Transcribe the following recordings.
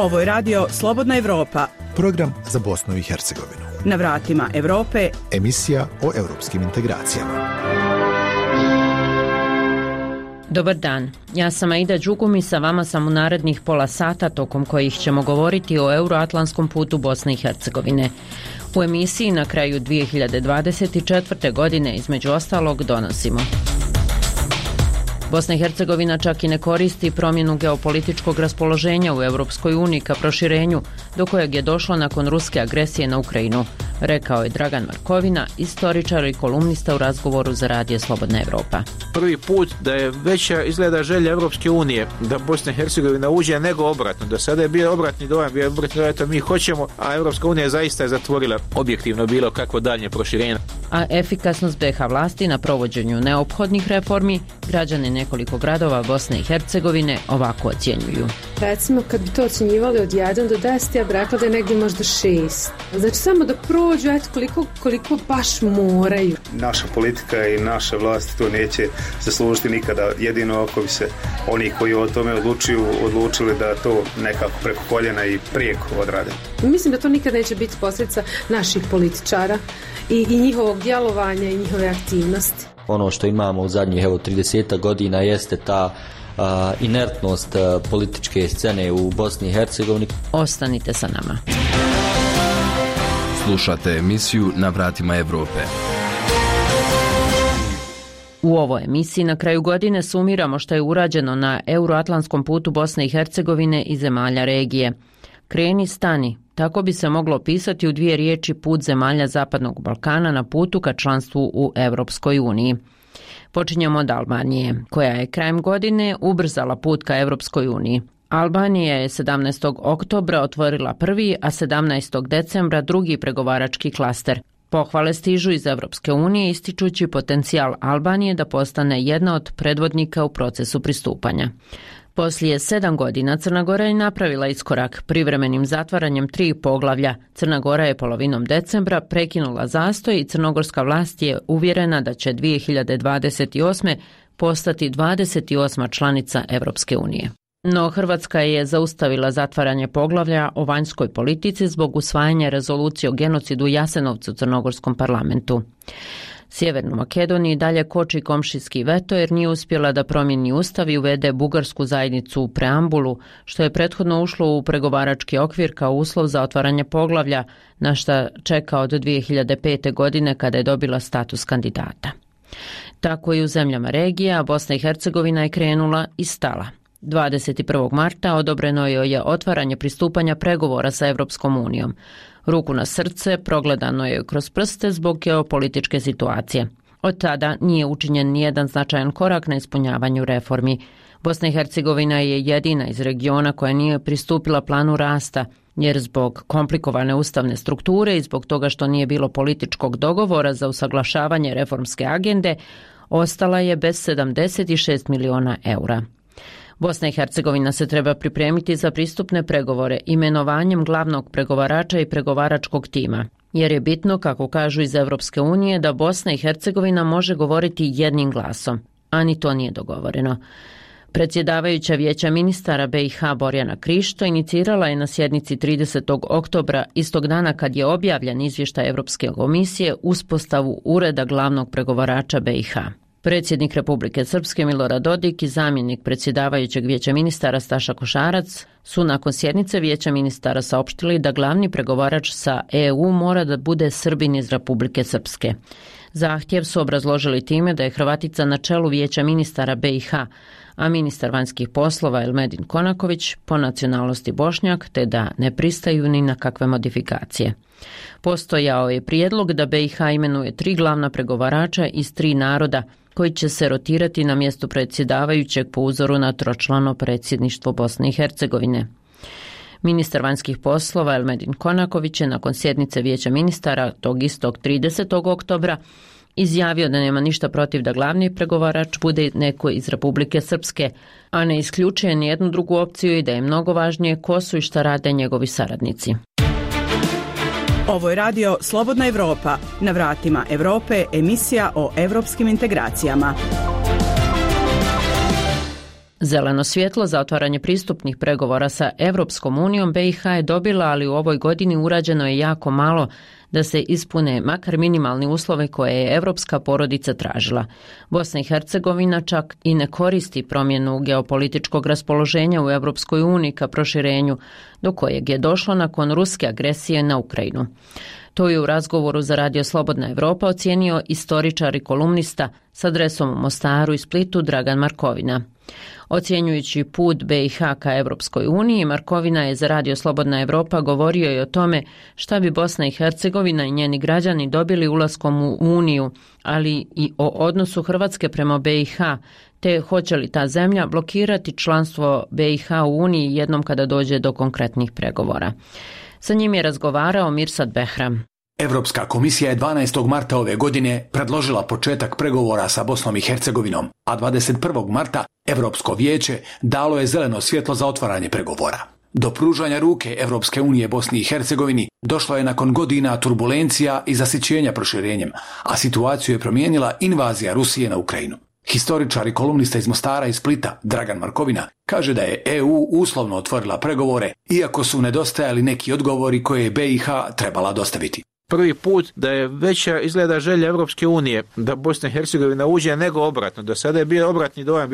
Ovo je radio Slobodna Evropa. Program za Bosnu i Hercegovinu. Na vratima Evrope. Emisija o europskim integracijama. Dobar dan, ja sam Aida Đugum i sa vama sam u narednih pola sata tokom kojih ćemo govoriti o euroatlantskom putu Bosne i Hercegovine. U emisiji na kraju 2024. godine između ostalog donosimo: Bosna i Hercegovina čak i ne koristi promjenu geopolitičkog raspoloženja u Europskoj uniji ka proširenju, do kojeg je došlo nakon ruske agresije na Ukrajinu, rekao je Dragan Markovina, istoričar i kolumnista u razgovoru za Radio Slobodna Evropa. Prvi put da je veća izgleda želja Europske unije da Bosna i Hercegovina uđe nego obratno. Do sada je bio obratni dojam, eto mi hoćemo, a Europska unija zaista je zatvorila objektivno bilo kakvo daljnje proširenje. A efikasnost BiH vlasti na provođenju neophodnih reformi građani nekoliko gradova Bosne i Hercegovine ovako ocjenjuju. Recimo, kad bi to ocjenjivali od 1 do 10, ja bih rekla da je negdje možda 6. Znači, samo da prođu, koliko baš moraju. Naša politika i naše vlasti to neće zaslužiti nikada. Jedino ako bi se oni koji o tome odlučili da to nekako preko koljena i prijeko odrade. Mislim da to nikada neće biti posljedica naših političara i njihovog djelovanja i njihove aktivnosti. Ono što imamo u zadnjih 30 godina jeste ta inertnost političke scene u Bosni i Hercegovini. Ostanite sa nama. Slušate emisiju Na vratima Evrope. U ovoj emisiji na kraju godine sumiramo što je urađeno na euroatlantskom putu Bosne i Hercegovine i zemalja regije. Kreni, stani. Tako bi se moglo opisati u 2 riječi put zemalja Zapadnog Balkana na putu ka članstvu u Europskoj uniji. Počinjemo od Albanije, koja je krajem godine ubrzala put ka Europskoj uniji. Albanija je 17. oktobra otvorila prvi, a 17. decembra drugi pregovarački klaster. Pohvale stižu iz Europske unije ističući potencijal Albanije da postane jedna od predvodnika u procesu pristupanja. Poslije 7 godina Crna Gora je napravila iskorak privremenim zatvaranjem 3 poglavlja. Crna Gora je polovinom decembra prekinula zastoj i crnogorska vlast je uvjerena da će 2028. postati 28. članica Europske unije. No Hrvatska je zaustavila zatvaranje poglavlja o vanjskoj politici zbog usvajanja rezolucije o genocidu u Jasenovcu u crnogorskom parlamentu. Sjevernu Makedoniju dalje koči komšijski veto jer nije uspjela da promijeni ustav i uvede bugarsku zajednicu u preambulu, što je prethodno ušlo u pregovarački okvir kao uslov za otvaranje poglavlja, na šta čeka od 2005. godine kada je dobila status kandidata. Tako i u zemljama regije, a Bosna i Hercegovina je krenula i stala. 21. marta odobreno joj je otvaranje pristupanja pregovora sa Europskom unijom. Ruku na srce, progledano je kroz prste zbog geopolitičke situacije. Od tada nije učinjen nijedan značajan korak na ispunjavanju reformi. Bosna i Hercegovina je jedina iz regiona koja nije pristupila planu rasta, jer zbog komplikovane ustavne strukture i zbog toga što nije bilo političkog dogovora za usaglašavanje reformske agende, ostala je bez 76 miliona eura. Bosna i Hercegovina se treba pripremiti za pristupne pregovore imenovanjem glavnog pregovarača i pregovaračkog tima, jer je bitno, kako kažu iz Europske unije, da Bosna i Hercegovina može govoriti jednim glasom, a ni to nije dogovoreno. Predsjedavajuća Vijeća ministara BiH Borjana Krišto inicirala je na sjednici 30. oktobra, istog dana kad je objavljen izvještaj Europske komisije, uspostavu ureda glavnog pregovarača BiH. Predsjednik Republike Srpske Milorad Dodik i zamjenik predsjedavajućeg Vijeća ministara Staša Košarac su nakon sjednice Vijeća ministara saopštili da glavni pregovarač sa EU mora da bude Srbin iz Republike Srpske. Zahtjev su obrazložili time da je Hrvatica na čelu Vijeća ministara BiH, a ministar vanjskih poslova Elmedin Konaković po nacionalnosti Bošnjak, te da ne pristaju ni na kakve modifikacije. Postojao je prijedlog da BiH imenuje 3 glavna pregovarača iz 3 naroda, koji će se rotirati na mjestu predsjedavajućeg po uzoru na tročlano predsjedništvo Bosne i Hercegovine. Ministar vanjskih poslova Elmedin Konaković je nakon sjednice Vijeća ministara tog istog 30. oktobra izjavio da nema ništa protiv da glavni pregovarač bude neko iz Republike Srpske, a ne isključuje nijednu drugu opciju i da je mnogo važnije ko su i šta rade njegovi saradnici. Ovo je radio Slobodna Evropa. Na vratima Evrope, emisija o evropskim integracijama. Zeleno svjetlo za otvaranje pristupnih pregovora sa Europskom unijom BiH je dobila, ali u ovoj godini urađeno je jako malo da se ispune makar minimalni uslovi koje je evropska porodica tražila. Bosna i Hercegovina čak i ne koristi promjenu geopolitičkog raspoloženja u Europskoj uniji ka proširenju, do kojeg je došlo nakon ruske agresije na Ukrajinu. To je u razgovoru za Radio Slobodna Evropa ocijenio istoričar i kolumnista s adresom u Mostaru i Splitu Dragan Markovina. Ocjenjujući put BiH ka Europskoj uniji, Markovina je za Radio Slobodna Evropa govorio i o tome šta bi Bosna i Hercegovina i njeni građani dobili ulaskom u Uniju, ali i o odnosu Hrvatske prema BiH, te hoće li ta zemlja blokirati članstvo BiH u Uniji jednom kada dođe do konkretnih pregovora. Sa njim je razgovarao Mirsad Behram. Europska komisija je 12. marta ove godine predložila početak pregovora sa Bosnom i Hercegovinom, a 21. marta Europsko vijeće dalo je zeleno svjetlo za otvaranje pregovora. Do pružanja ruke Europske unije Bosni i Hercegovini došlo je nakon godina turbulencija i zasićenja proširenjem, a situaciju je promijenila invazija Rusije na Ukrajinu. Historičar i kolumnista iz Mostara i Splita Dragan Markovina kaže da je EU uslovno otvorila pregovore, iako su nedostajali neki odgovori koje je BiH trebala dostaviti. Prvi put da je veća izgleda želja Europske unije da Bosna i Hercegovina uđe nego obratno. Do sada je bio obratni dojam,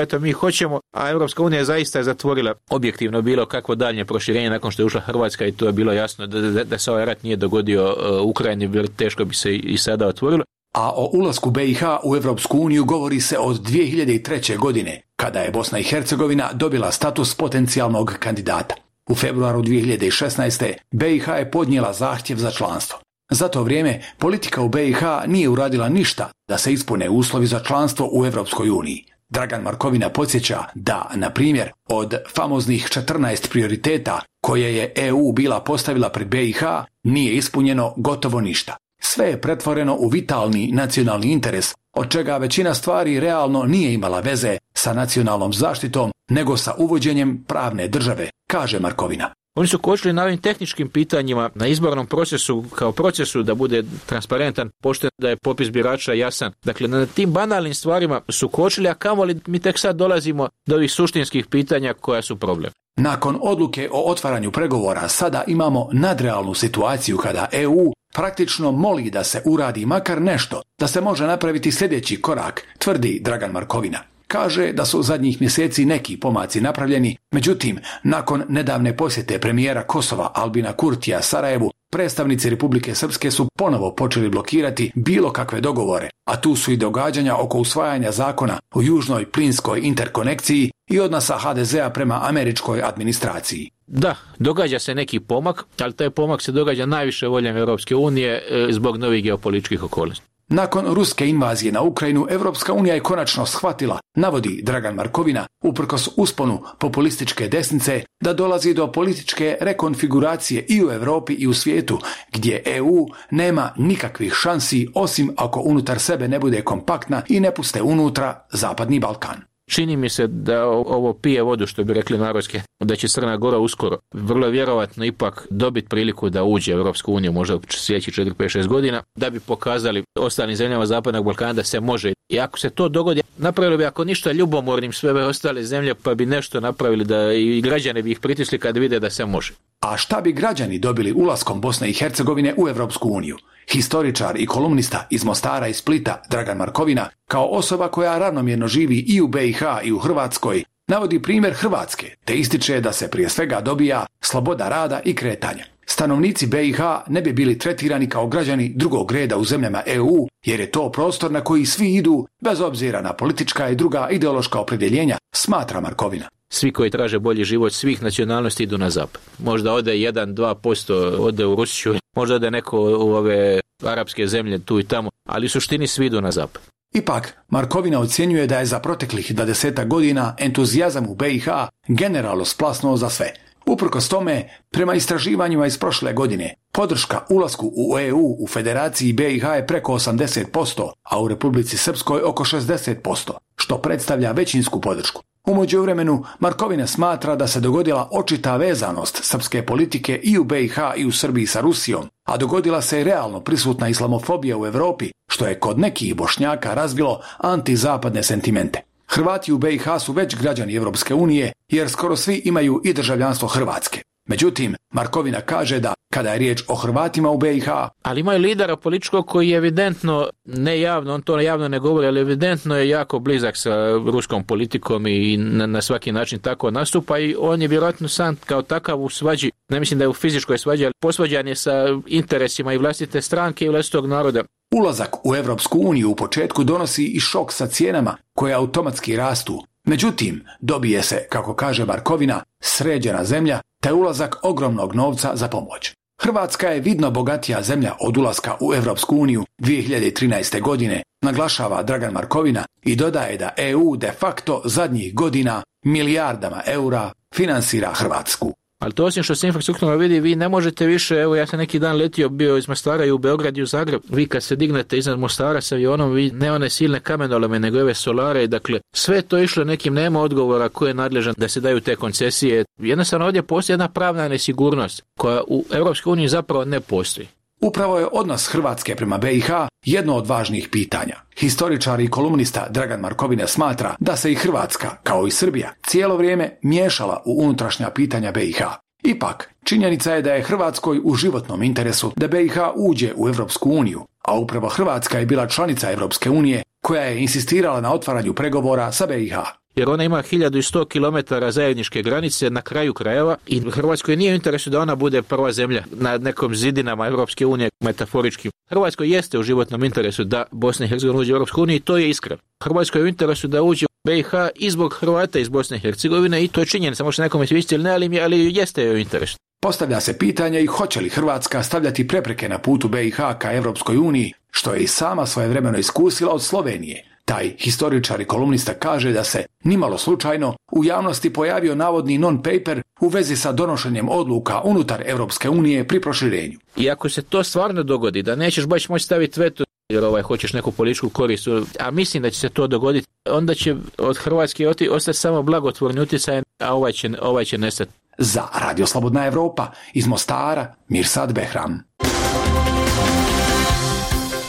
to mi hoćemo, a Europska unija zaista je zatvorila objektivno bilo kakvo daljnje proširenje nakon što je ušla Hrvatska i to je bilo jasno da se ovaj rat nije dogodio Ukrajini, teško bi se i sada otvorilo. A o ulasku BiH u Europsku uniju govori se od 2003. godine, kada je Bosna i Hercegovina dobila status potencijalnog kandidata. U februaru 2016. BiH je podnijela zahtjev za članstvo. Za to vrijeme politika u BiH nije uradila ništa da se ispune uslovi za članstvo u Europskoj uniji. Dragan Markovina podsjeća da, na primjer, od famoznih 14 prioriteta koje je EU bila postavila pred BiH, nije ispunjeno gotovo ništa. Sve je pretvoreno u vitalni nacionalni interes, od čega većina stvari realno nije imala veze sa nacionalnom zaštitom, nego sa uvođenjem pravne države, kaže Markovina. Oni su kočili na ovim tehničkim pitanjima, na izbornom procesu, kao procesu da bude transparentan, pošten, da je popis birača jasan. Dakle, na tim banalnim stvarima su kočili, a kamoli mi tek sad dolazimo do ovih suštinskih pitanja koja su problem. Nakon odluke o otvaranju pregovora sada imamo nadrealnu situaciju kada EU praktično moli da se uradi makar nešto, da se može napraviti sljedeći korak, tvrdi Dragan Markovina. Kaže da su zadnjih mjeseci neki pomaci napravljeni, međutim, nakon nedavne posjete premijera Kosova Albina Kurtija Sarajevu, predstavnici Republike Srpske su ponovo počeli blokirati bilo kakve dogovore, a tu su i događanja oko usvajanja zakona o južnoj plinskoj interkonekciji i odnosa HDZ-a prema američkoj administraciji. Da, događa se neki pomak, ali taj pomak se događa najviše voljem Europske unije zbog novih geopolitičkih okolnosti. Nakon ruske invazije na Ukrajinu, Europska unija je konačno shvatila, navodi Dragan Markovina, uprkos usponu populističke desnice, da dolazi do političke rekonfiguracije i u Europi i u svijetu, gdje EU nema nikakvih šansi osim ako unutar sebe ne bude kompaktna i ne puste unutra Zapadni Balkan. Čini mi se da ovo pije vodu, što bi rekli narodski, da će Crna Gora uskoro vrlo vjerovatno ipak dobiti priliku da uđe u Europsku uniju možda u sljedećih 4, 5, 6 godina, da bi pokazali ostalim zemljama Zapadnog Balkana da se može. I ako se to dogodi, napravili bi ako ništa ljubomornim sve ostale zemlje, pa bi nešto napravili da i građani bi ih pritisli kad vide da se može. A šta bi građani dobili ulaskom Bosne i Hercegovine u Europsku uniju? Historičar i kolumnista iz Mostara i Splita Dragan Markovina, kao osoba koja ravnomjerno živi i u BiH i u Hrvatskoj, navodi primjer Hrvatske, te ističe da se prije svega dobija sloboda rada i kretanja. Stanovnici BiH ne bi bili tretirani kao građani drugog reda u zemljama EU, jer je to prostor na koji svi idu, bez obzira na politička i druga ideološka opredjeljenja, smatra Markovina. Svi koji traže bolji život svih nacionalnosti idu na zapad. Možda ode 1-2% ode u Rusiju, možda ode neko u ove arapske zemlje tu i tamo, ali u suštini svi idu na zapad. Ipak, Markovina ocjenjuje da je za proteklih 20 godina entuzijazam u BiH generalno splasnuo za sve. Uprkos tome, prema istraživanjima iz prošle godine, podrška ulasku u EU u Federaciji BiH je preko 80%, a u Republici Srpskoj oko 60%, što predstavlja većinsku podršku. U međuvremenu, Markovina smatra da se dogodila očita vezanost srpske politike i u BiH i u Srbiji sa Rusijom, a dogodila se i realno prisutna islamofobija u Europi, što je kod nekih Bošnjaka razvilo antizapadne sentimente. Hrvati u BiH su već građani Europske unije jer skoro svi imaju i državljanstvo Hrvatske. Međutim, Markovina kaže da kada je riječ o Hrvatima u BiH... Ali imaju lidera političkog koji je evidentno, ne javno, on to javno ne govori, ali evidentno je jako blizak sa ruskom politikom i na svaki način tako nastupa i on je vjerojatno sam kao takav u svađi, ne mislim da je u fizičkoj svađi, ali posvađan je sa interesima i vlastite stranke i vlastitog naroda. Ulazak u Europsku uniju u početku donosi i šok sa cijenama koje automatski rastu. Međutim, dobije se, kako kaže Markovina, sređena zemlja, te ulazak ogromnog novca za pomoć. Hrvatska je vidno bogatija zemlja od ulaska u Europsku uniju 2013. godine, naglašava Dragan Markovina i dodaje da EU de facto zadnjih godina milijardama eura finansira Hrvatsku. Ali to osim što se infrastrukturno vidi, vi ne možete više, evo ja sam neki dan letio, bio iz Mostara i u Beograd i u Zagreb, vi kad se dignete iznad Mostara sa avionom, vi ne one silne kamenolome, nego ove solare, dakle sve to išlo nekim, nema odgovora ko je nadležan da se daju te koncesije. Jednostavno ovdje postoji jedna pravna nesigurnost koja u Europskoj uniji zapravo ne postoji. Upravo je odnos Hrvatske prema BiH jedno od važnijih pitanja. Historičar i kolumnista Dragan Markovina smatra da se i Hrvatska, kao i Srbija, cijelo vrijeme miješala u unutrašnja pitanja BiH. Ipak, činjenica je da je Hrvatskoj u životnom interesu da BiH uđe u Europsku uniju, a upravo Hrvatska je bila članica Europske unije koja je insistirala na otvaranju pregovora sa BiH. Jer ona ima 1100 km zajedničke granice na kraju krajeva i Hrvatskoj nije u interesu da ona bude prva zemlja na nekom zidinama Europske unije, metaforički. Hrvatskoj jeste u životnom interesu da Bosna i Hercegovina uđe u Europsku uniju i to je iskreno. Hrvatskoj je u interesu da uđe u BiH i zbog Hrvata iz Bosne i Hercegovine i to je činjenica, može nekome sviđati ili ne, ali jeste joj u interesu. Postavlja se pitanje i hoće li Hrvatska stavljati prepreke na putu BiH ka Europskoj uniji, što je i sama svojevremeno iskusila od Slovenije. Taj historičar i kolumnista kaže da se, nimalo slučajno, u javnosti pojavio navodni non-paper u vezi sa donošenjem odluka unutar Europske unije pri proširenju. I ako se to stvarno dogodi, da nećeš baš moći staviti veto, jer hoćeš neku političku korist, a mislim da će se to dogoditi, onda će od Hrvatske ostati samo blagotvorni utjecaj, a ovaj će nestati. Za Radio Slobodna Evropa iz Mostara, Mirsad Behram.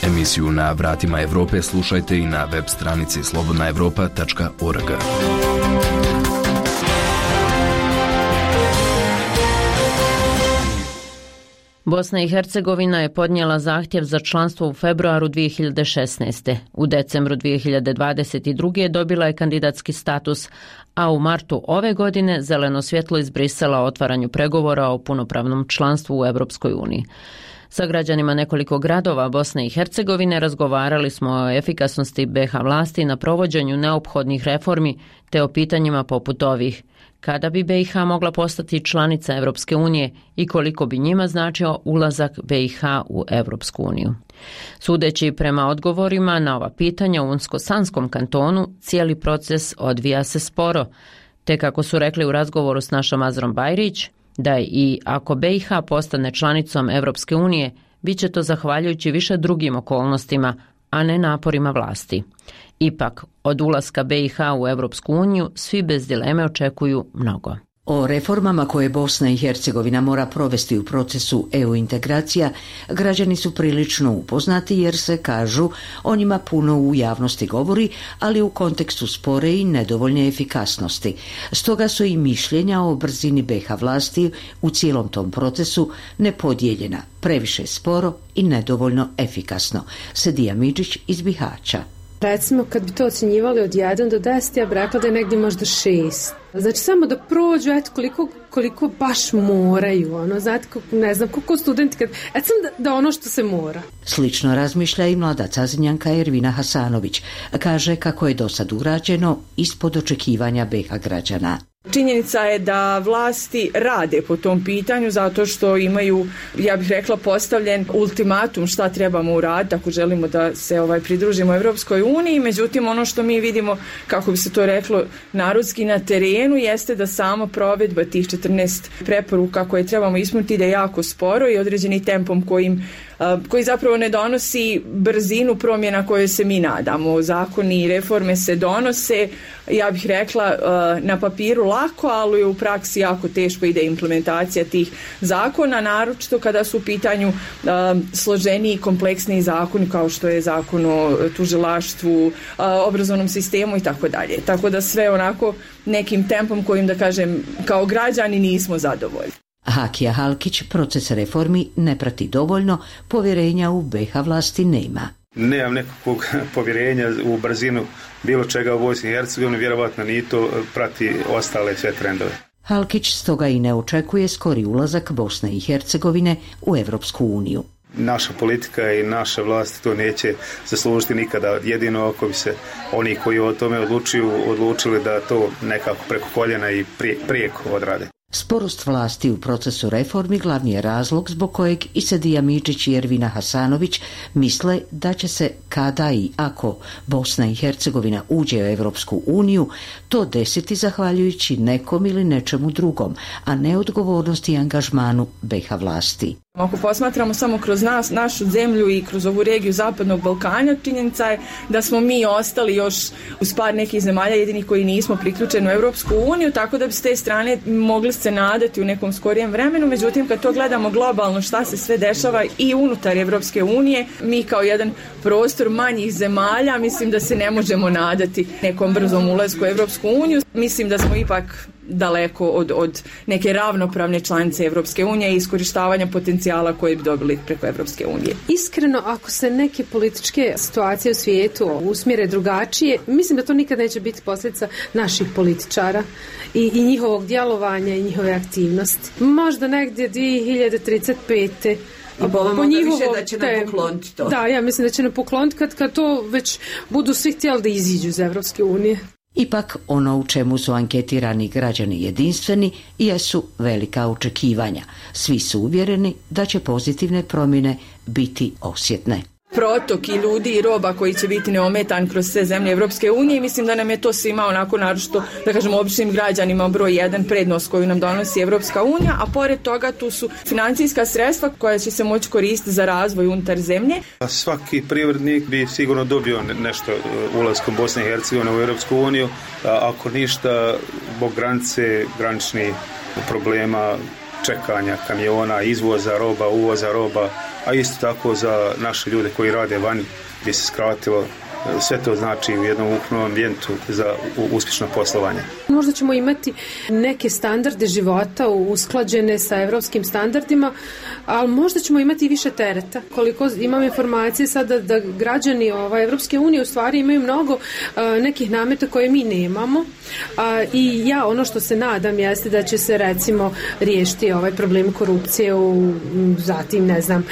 Emisiju Na vratima Evrope slušajte i na web stranici slobodnaevropa.org. Bosna i Hercegovina je podnijela zahtjev za članstvo u februaru 2016. U decembru 2022. dobila je kandidatski status, a u martu ove godine zeleno svjetlo iz Brisela o otvaranju pregovora o punopravnom članstvu u Europskoj uniji. Sa građanima nekoliko gradova Bosne i Hercegovine razgovarali smo o efikasnosti BiH vlasti na provođenju neophodnih reformi te o pitanjima poput ovih: kada bi BiH mogla postati članica Europske unije i koliko bi njima značio ulazak BiH u Europsku uniju. Sudeći prema odgovorima na ova pitanja u Unsko-Sanskom kantonu, cijeli proces odvija se sporo, te kako su rekli u razgovoru s našom Azrom Bajrić, da i ako BiH postane članicom Europske unije, bit će to zahvaljujući više drugim okolnostima, a ne naporima vlasti. Ipak, od ulaska BiH u Europsku uniju svi bez dileme očekuju mnogo. O reformama koje Bosna i Hercegovina mora provesti u procesu EU integracija, građani su prilično upoznati jer se, kažu, o njima puno u javnosti govori, ali u kontekstu spore i nedovoljne efikasnosti. Stoga su i mišljenja o brzini BiH vlasti u cijelom tom procesu nepodijeljena, previše sporo i nedovoljno efikasno. Sedija Midžić iz Bihaća. Recimo, kad bi to ocjenjivali od 1 do 10, ja bih rekla da je negdje možda 6. Znači, samo da prođu, eto, koliko baš moraju, znate, ne znam, koliko studenti, samo da ono što se mora. Slično razmišlja i mlada Cazinjanka Ervina Hasanović. Kaže kako je do sad urađeno ispod očekivanja BiH građana. Činjenica je da vlasti rade po tom pitanju zato što imaju, ja bih rekla, postavljen ultimatum šta trebamo uraditi ako želimo da se pridružimo Europskoj uniji. Međutim, ono što mi vidimo, kako bi se to reklo narodski, na terenu jeste da sama provedba tih 14 preporuka koje trebamo ispuniti ide jako sporo i određeni tempom kojim koji zapravo ne donosi brzinu promjena koje se mi nadamo. Zakoni i reforme se donose, ja bih rekla, na papiru lako, ali u praksi jako teško ide implementacija tih zakona, naročito kada su u pitanju složeniji i kompleksniji zakoni kao što je zakon o tužilaštvu, obrazovnom sistemu i tako dalje. Tako da sve onako nekim tempom kojim, da kažem, kao građani nismo zadovoljni. Hakija Halkić proces reformi ne prati dovoljno, povjerenja u BiH vlasti nema. Nemam nekakvog povjerenja u brzinu bilo čega u Bosni i Hercegovini, vjerovatno ni to prati ostale sve trendove. Halkić stoga i ne očekuje skori ulazak Bosne i Hercegovine u Europsku uniju. Naša politika i naša vlast to neće zaslužiti nikada. Jedino ako bi se oni koji o tome odlučili da to nekako preko koljena i prijeko odrade. Sporost vlasti u procesu reformi glavni je razlog zbog kojeg i Sedija Mičić i Ervina Hasanović misle da će se kada i ako Bosna i Hercegovina uđe u Europsku uniju to desiti zahvaljujući nekom ili nečemu drugom, a ne odgovornosti i angažmanu BiH vlasti. Ako posmatramo samo kroz našu zemlju i kroz ovu regiju Zapadnog Balkana, činjenica je da smo mi ostali još uz par nekih zemalja jedini koji nismo priključeni u Europsku uniju, tako da bi s te strane mogli se nadati u nekom skorijem vremenu. Međutim, kad to gledamo globalno šta se sve dešava i unutar Europske unije, mi kao jedan prostor manjih zemalja, mislim da se ne možemo nadati nekom brzom ulasku u Europsku uniju. Mislim da smo ipak daleko od neke ravnopravne članice Evropske unije i iskorištavanja potencijala koje bi dobili preko Evropske unije. Iskreno, ako se neke političke situacije u svijetu usmjere drugačije, mislim da to nikad neće biti posljedica naših političara i njihovog djelovanja i njihove aktivnosti. Možda negdje 2035. Po njihovom, da će nam pokloniti to. Da, ja mislim da će nam pokloniti kad to već budu svi htjeli da iziđu iz Evropske unije. Ipak ono u čemu su anketirani građani jedinstveni jesu velika očekivanja. Svi su uvjereni da će pozitivne promjene biti osjetne. Protok i ljudi i roba koji će biti neometan kroz sve zemlje Evropske unije, mislim da nam je to svima onako naročito, da kažemo, običnim građanima broj jedan prednost koju nam donosi Evropska unija, a pored toga tu su financijska sredstva koja će se moći koristiti za razvoj unutar zemlje. Svaki privrednik bi sigurno dobio nešto ulaskom Bosne i Hercegovine u Evropsku uniju, ako ništa zbog granice, graničnih problema, čekanja kamiona, izvoza roba, uvoza roba, a isto tako za naše ljude koji rade vani bi se skratilo. Sve to znači u jednom ukupnom ambijentu za uspješno poslovanje. Možda ćemo imati neke standarde života usklađene sa evropskim standardima, ali možda ćemo imati i više tereta. Koliko imam informacije sada da građani Evropske unije u stvari imaju mnogo nekih nameta koje mi nemamo, i ja ono što se nadam jeste da će se recimo riješiti ovaj problem korupcije, zatim ne znam,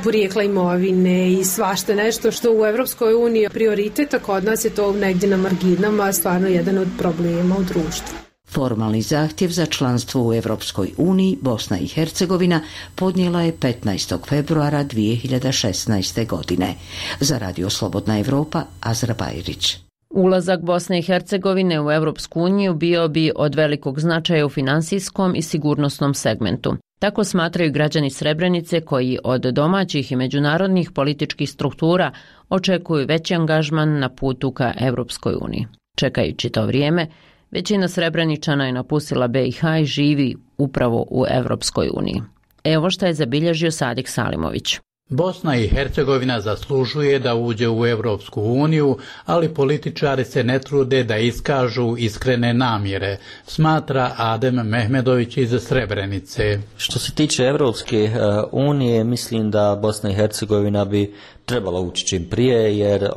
porijekla imovine i svašta nešto što u Evropskoj uniji prioritet, a kod nas je to negdje na marginama stvarno jedan od problema u društvu. Formalni zahtjev za članstvo u Europskoj uniji Bosna i Hercegovina podnijela je 15. februara 2016. godine. Za Radio Slobodna Evropa, Azra Bajrić. Ulazak Bosne i Hercegovine u Europsku uniju bio bi od velikog značaja u finansijskom i sigurnosnom segmentu. Tako smatraju građani Srebrenice koji od domaćih i međunarodnih političkih struktura očekuju veći angažman na putu ka Europskoj uniji. Čekajući to vrijeme, većina Srebreničana je napustila BiH i živi upravo u Europskoj uniji. Evo što je zabilježio Sadik Salimović. Bosna i Hercegovina zaslužuje da uđe u Europsku uniju, ali političari se ne trude da iskažu iskrene namjere, smatra Adem Mehmedović iz Srebrenice. Što se tiče Europske unije, mislim da Bosna i Hercegovina bi trebala ući čim prije, jer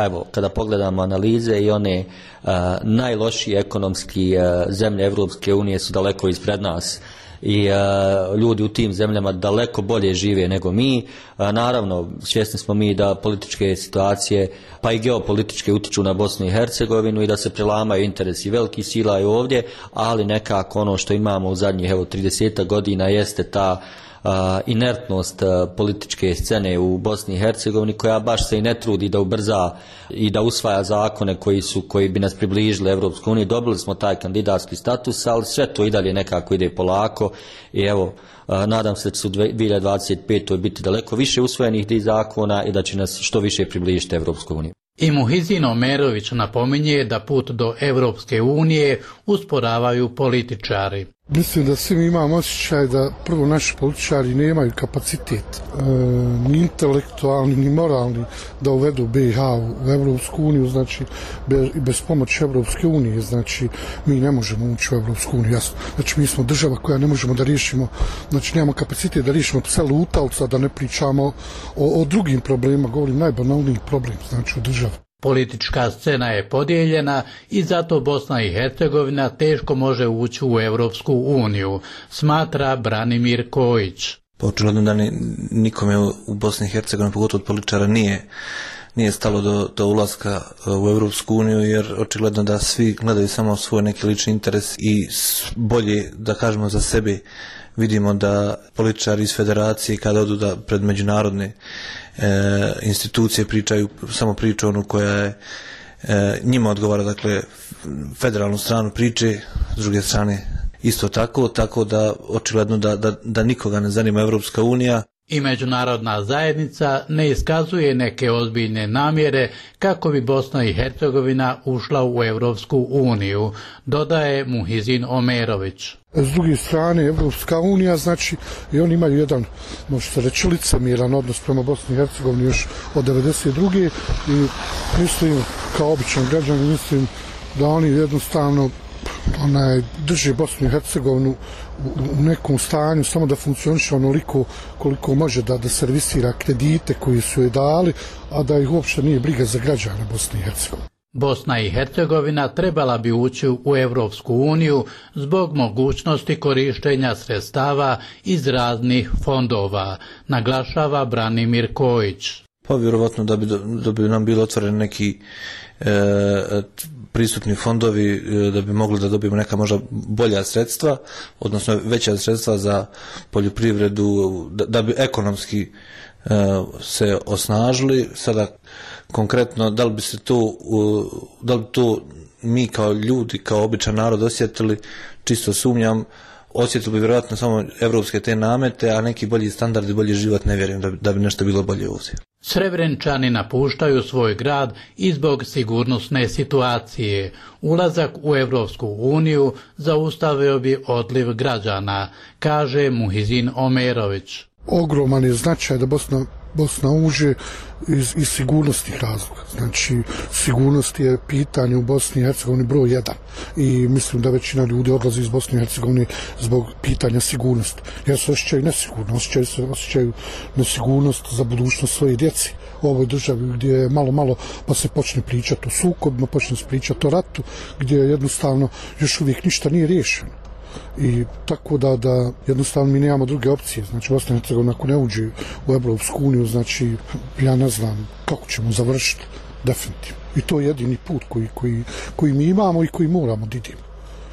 evo, kada pogledamo analize i one najlošije ekonomski zemlje Europske unije su daleko ispred nas. I ljudi u tim zemljama daleko bolje žive nego mi. Naravno, svjesni smo mi da političke situacije pa i geopolitičke utiču na Bosnu i Hercegovinu i da se prelamaju interesi velikih sila i ovdje, ali nekako ono što imamo u zadnjih 30 godina jeste ta inertnost političke scene u Bosni i Hercegovini, koja baš se i ne trudi da ubrza i da usvaja zakone koji bi nas približili Evropskoj uniji. Dobili smo taj kandidatski status, ali sve to i dalje nekako ide polako i evo, nadam se da će u 2025. biti daleko više usvojenih tih zakona i da će nas što više približiti Evropskoj uniji. I Muhizin Omerović napominje da put do Evropske unije usporavaju političari. Mislim da svi imamo osjećaj da prvo naši političari nemaju kapacitet ni intelektualni ni moralni da uvedu BiH u Evropsku uniju, znači bez pomoći Evropske unije, znači mi ne možemo ući u Evropsku uniju, jasno. Znači mi smo država koja ne možemo da riješimo, znači nemamo kapacitet da riješimo pse lutalca, da ne pričamo o drugim problemima, govorim najbanalniji problem, znači u državi. Politička scena je podijeljena i zato Bosna i Hercegovina teško može ući u Evropsku uniju, smatra Branimir Kojić. Očigledno da nikome u Bosni i Hercegovini, pogotovo od političara, nije stalo do ulaska u Evropsku uniju, jer očigledno da svi gledaju samo svoj neki lični interes i bolje, da kažemo, za sebe. Vidimo da političari iz federacije kada odu da pred međunarodne institucije pričaju samo priču onu koja je njima odgovara, dakle federalnu stranu priče, s druge strane isto tako da očigledno da nikoga ne zanima Evropska unija. I međunarodna zajednica ne iskazuje neke ozbiljne namjere kako bi Bosna i Hercegovina ušla u Evropsku uniju, dodaje Muhizin Omerović. S druge strane, Evropska unija, znači, i oni imaju jedan, može se reći, licemjeran odnos prema Bosni i Hercegovini još od 1992. i mislim, kao običan građan, mislim da oni jednostavno drži Bosnu i Hercegovinu u nekom stanju samo da funkcioniše onoliko koliko može da servisira kredite koji su joj dali, a da ih uopšte nije briga za građane Bosne i Hercegovine. Bosna i Hercegovina trebala bi ući u Evropsku uniju zbog mogućnosti korištenja sredstava iz raznih fondova, naglašava Branimir Kojić. Pa vjerovatno da bi nam bilo otvoreni neki pristupni fondovi, da bi mogli da dobijemo neka možda bolja sredstva, odnosno veća sredstva za poljoprivredu, da bi ekonomski se osnažili. Sada konkretno, da li bi to mi kao ljudi, kao običan narod osjetili, čisto sumnjam. Osjetili bi vjerojatno samo evropske te namete, a neki bolji standardi, bolji život ne vjerujem da bi nešto bilo bolje ovdje. Srebrenčani napuštaju svoj grad i zbog sigurnosne situacije. Ulazak u Evropsku uniju zaustavio bi odliv građana, kaže Muhizin Omerović. Ogroman je značaj da Bosna uđe iz sigurnosnih razloga. Znači, sigurnost je pitanje u Bosni i Hercegovini broj 1. I mislim da većina ljudi odlazi iz Bosne i Hercegovine zbog pitanja sigurnosti. Jer se osjećaju nesigurno, osjećaju nesigurnost za budućnost svoje djeci. U ovoj državi gdje je malo pa se počne pričati o sukobima, počne se pričati o ratu, gdje jednostavno još uvijek ništa nije riješeno. I tako da jednostavno mi nemamo druge opcije. Znači Bosna i Hercegovina ako ne uđe u Evropsku uniju, znači ja ne znam kako ćemo završiti definitivno. I to je jedini put koji mi imamo i koji moramo da idemo.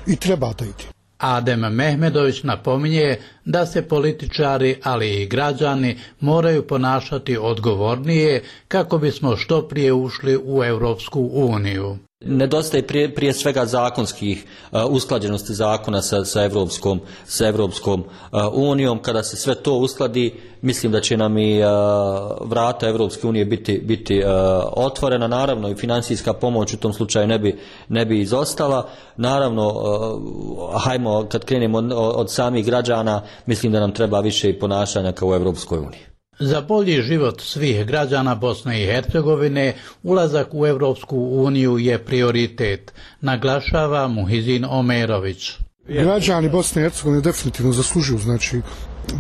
I treba da idemo. Adem Mehmedović napominje da se političari, ali i građani moraju ponašati odgovornije kako bismo što prije ušli u Evropsku uniju. Nedostaje prije svega zakonskih usklađenosti zakona sa Evropskom unijom. Kada se sve to uskladi, mislim da će nam i vrata Evropske unije biti otvorena. Naravno i financijska pomoć u tom slučaju ne bi izostala. Naravno, hajmo kad krenemo od samih građana, mislim da nam treba više i ponašanja kao u Evropskoj uniji. Za bolji život svih građana Bosne i Hercegovine ulazak u Evropsku uniju je prioritet, naglašava Muhizin Omerović. Građani Bosne i Hercegovine definitivno zaslužuju, znači,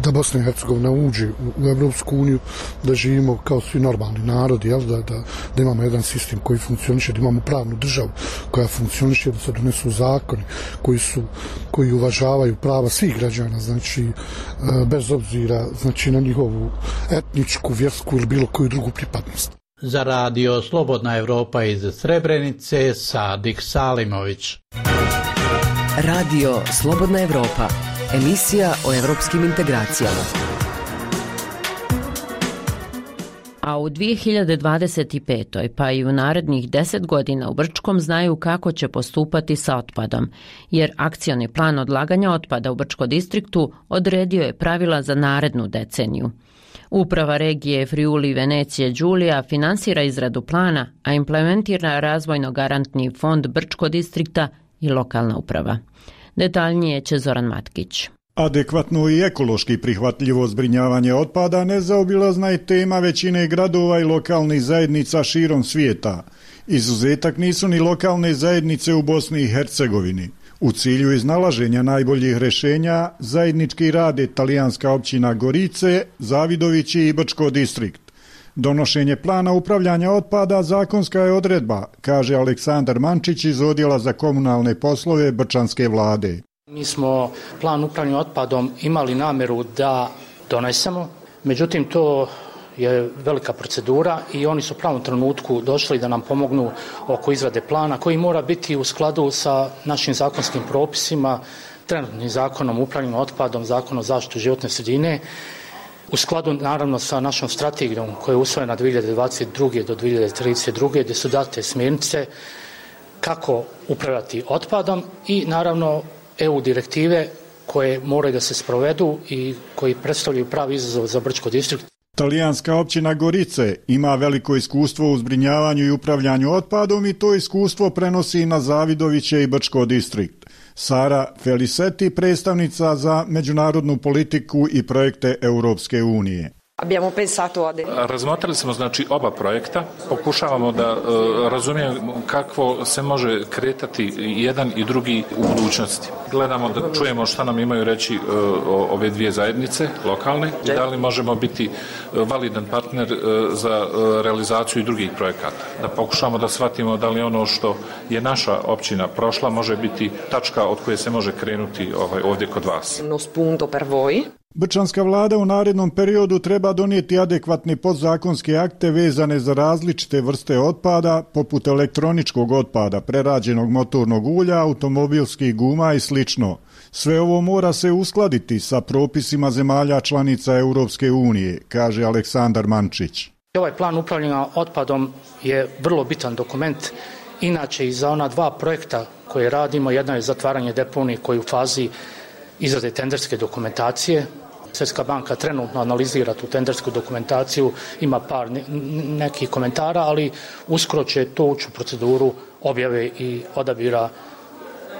da Bosna i Hercegovina uđe u Evropsku uniju, da živimo kao svi normalni narodi, da imamo jedan sistem koji funkcioniše, da imamo pravnu državu koja funkcioniše, da se donesu zakoni koji uvažavaju prava svih građana, znači bez obzira, znači, na njihovu etničku, vjersku ili bilo koju drugu pripadnost. Za radio Slobodna Evropa iz Srebrenice, Sadik Salimović. Radio Slobodna Evropa, emisija o evropskim integracijama. A u 2025. pa i u narednih 10 godina u Brčkom znaju kako će postupati sa otpadom, jer akcioni plan odlaganja otpada u Brčko distriktu odredio je pravila za narednu deceniju. Uprava regije Friuli Venecije Đulija finansira izradu plana, a implementira razvojno-garantni fond Brčko distrikta i lokalna uprava. Detaljnije će Zoran Matkić. Adekvatno i ekološki prihvatljivo zbrinjavanje otpada nezaobilazna je tema većine gradova i lokalnih zajednica širom svijeta. Izuzetak nisu ni lokalne zajednice u Bosni i Hercegovini. U cilju iznalaženja najboljih rješenja zajednički rade talijanska općina Gorice, Zavidovići i Brčko distrikt. Donošenje plana upravljanja otpada zakonska je odredba, kaže Aleksandar Mančić iz Odjela za komunalne poslove Brčanske vlade. Mi smo plan upravljanja otpadom imali namjeru da donesemo, međutim to je velika procedura i oni su u pravom trenutku došli da nam pomognu oko izrade plana koji mora biti u skladu sa našim zakonskim propisima, trenutnim zakonom o upravljanju otpadom, zakonom o zaštiti životne sredine, u skladu naravno sa našom strategijom koja je usvojena 2022. do 2032. gdje su date smjernice kako upravljati otpadom i naravno EU direktive koje moraju da se sprovedu i koji predstavljaju pravi izazov za Brčko distrikt. Talijanska općina Gorice ima veliko iskustvo u zbrinjavanju i upravljanju otpadom i to iskustvo prenosi na Zavidoviće i Brčko distrikt. Sara Feliceti, predstavnica za međunarodnu politiku i projekte Europske unije. Razmotrili smo oba projekta, pokušavamo da razumijemo kako se može kretati jedan i drugi u budućnosti. Gledamo da čujemo šta nam imaju reći ove dvije zajednice lokalne i da li možemo biti validan partner za realizaciju i drugih projekata. Da pokušamo da shvatimo da li ono što je naša općina prošla može biti tačka od koje se može krenuti ovdje kod vas. Brčanska vlada u narednom periodu treba donijeti adekvatne podzakonske akte vezane za različite vrste otpada, poput elektroničkog otpada, prerađenog motornog ulja, automobilskih guma i sl. Sve ovo mora se uskladiti sa propisima zemalja članica Europske unije, kaže Aleksandar Mančić. Ovaj plan upravljanja otpadom je vrlo bitan dokument, inače i za ona dva projekta koje radimo, jedna je zatvaranje deponije koji je u fazi izrade tenderske dokumentacije. Svjetska banka trenutno analizira tu tendersku dokumentaciju, ima par nekih komentara, ali uskoro će to ući u proceduru objave i odabira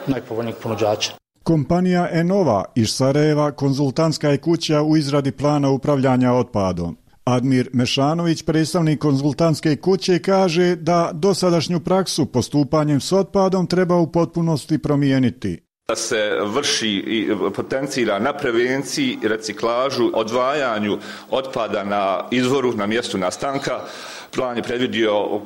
najpovoljnijih ponuđača. Kompanija Enova iz Sarajeva konzultantska je kuća u izradi plana upravljanja otpadom. Admir Mešanović, predstavnik konzultantske kuće, kaže da dosadašnju praksu postupanjem s otpadom treba u potpunosti promijeniti. Da se vrši i potencira na prevenciji, reciklažu, odvajanju otpada na izvoru, na mjestu nastanka. Plan je predvidio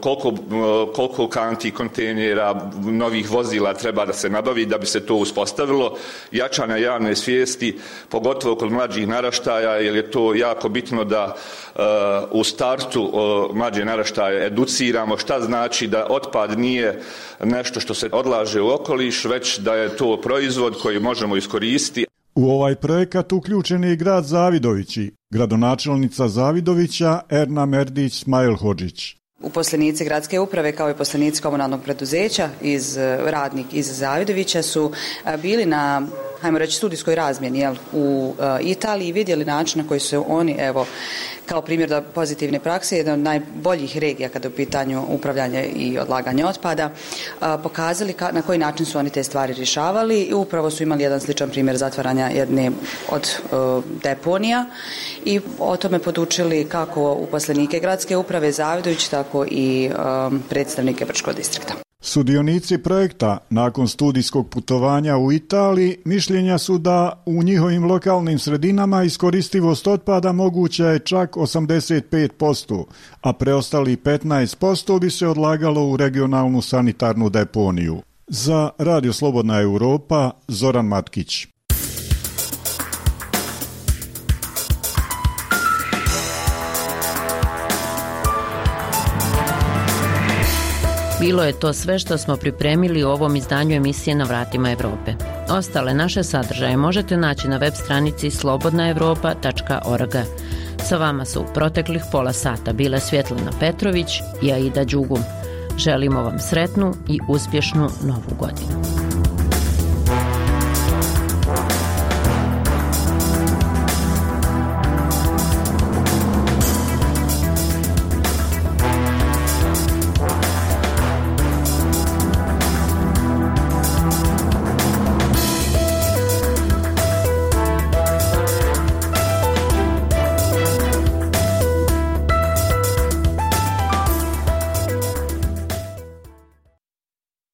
koliko kanti, kontejnera, novih vozila treba da se nabavi da bi se to uspostavilo. Jačanja javne svijesti, pogotovo kod mlađih naraštaja, jer je to jako bitno da u startu mlađe naraštaje educiramo šta znači da otpad nije nešto što se odlaže u okoliš, već da je to proizvod koji možemo iskoristiti. U ovaj projekat uključen je i grad Zavidovići, gradonačelnica Zavidovića Erna Merdić Smajlhodžić. Uposlenici gradske uprave kao i uposlenici komunalnog preduzeća radnik iz Zavidovića su bili na, hajmo reći, studijskoj razmjeni u Italiji i vidjeli način na koji su oni, kao primjer da pozitivne prakse, jedna od najboljih regija kada je u pitanju upravljanje i odlaganje otpada, pokazali na koji način su oni te stvari rješavali i upravo su imali jedan sličan primjer zatvaranja jedne od deponija i o tome podučili kako uposlenike gradske uprave Zavidović, tako i predstavnike Brčkog distrikta. Sudionici projekta nakon studijskog putovanja u Italiji mišljenja su da u njihovim lokalnim sredinama iskoristivost otpada moguća je čak 85%, a preostali 15% bi se odlagalo u regionalnu sanitarnu deponiju. Za Radio Slobodna Europa, Zoran Matkić. Bilo je to sve što smo pripremili u ovom izdanju emisije Na vratima Evrope. Ostale naše sadržaje možete naći na web stranici slobodnaevropa.org. Sa vama su proteklih pola sata bile Svjetlana Petrović i Aida Đugum. Želimo vam sretnu i uspješnu novu godinu.